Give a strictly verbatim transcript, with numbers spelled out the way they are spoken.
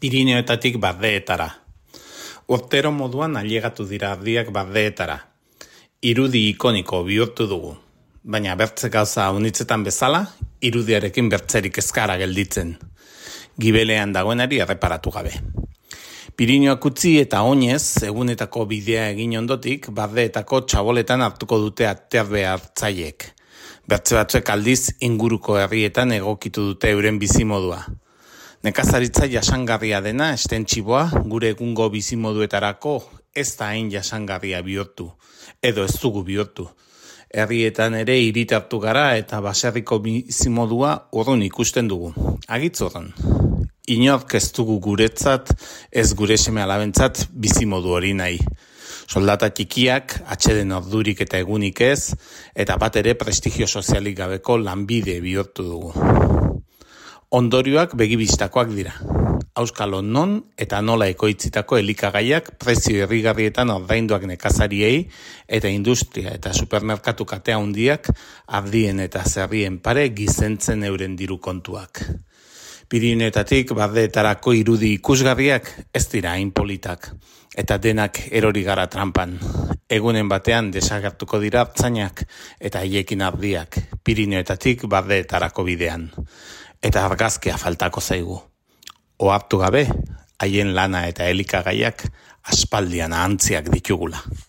Pirineoetatik Bardeetara. Urtero moduan ailegatu dira ardiak Bardeetara. Irudi ikoniko bihurtu dugu. Baina bertze gauza unitzetan bezala, irudiarekin bertzerik ezkara gelditzen. Gibelean dagoenari erreparatu gabe. Pirinioak utzi eta oinez, egunetako bidea egin ondotik, Bardeetako txaboletan hartuko dute aterbe hartzaiek. Bertze batzuek aldiz inguruko herrietan egokitu dute euren bizimodua. Nekazaritza jasangarria dena estentxiboa gure egungo bizimoduetarako ez da hain jasangarria bihurtu, edo ez dugu bihurtu. Herrietan ere hiritartu gara eta baserriko bizimodua urrun ikusten dugu. Agitz urrun. Inork ez dugu guretzat, ez gure seme alabentzat bizimodu hori nahi. Soldata txikiak, atxeden ordurik eta egunik ez, eta bat ere prestigio sozialik gabeko lanbide bihurtu dugu. Ondorioak begibistakoak dira. Auskalo non eta nola ekoitzitako elikagaiak prezio irrigarrietan ordainduak nekazariei eta industria eta supermerkatu kate handiak ardien eta zerrien pare gizentzen euren diru kontuak. Pirineoetatik Bardeetarako irudi ikusgarriak ez dira hain politak eta denak erori gara trampan. Egunen batean desagertuko dira hartzainak eta haiekin ardiak Pirineoetatik Bardeetarako bidean. Eta argazkia faltako zaigu. Ohartu gabe, haien lana eta elikagaiak aspaldian ahantziak ditugula.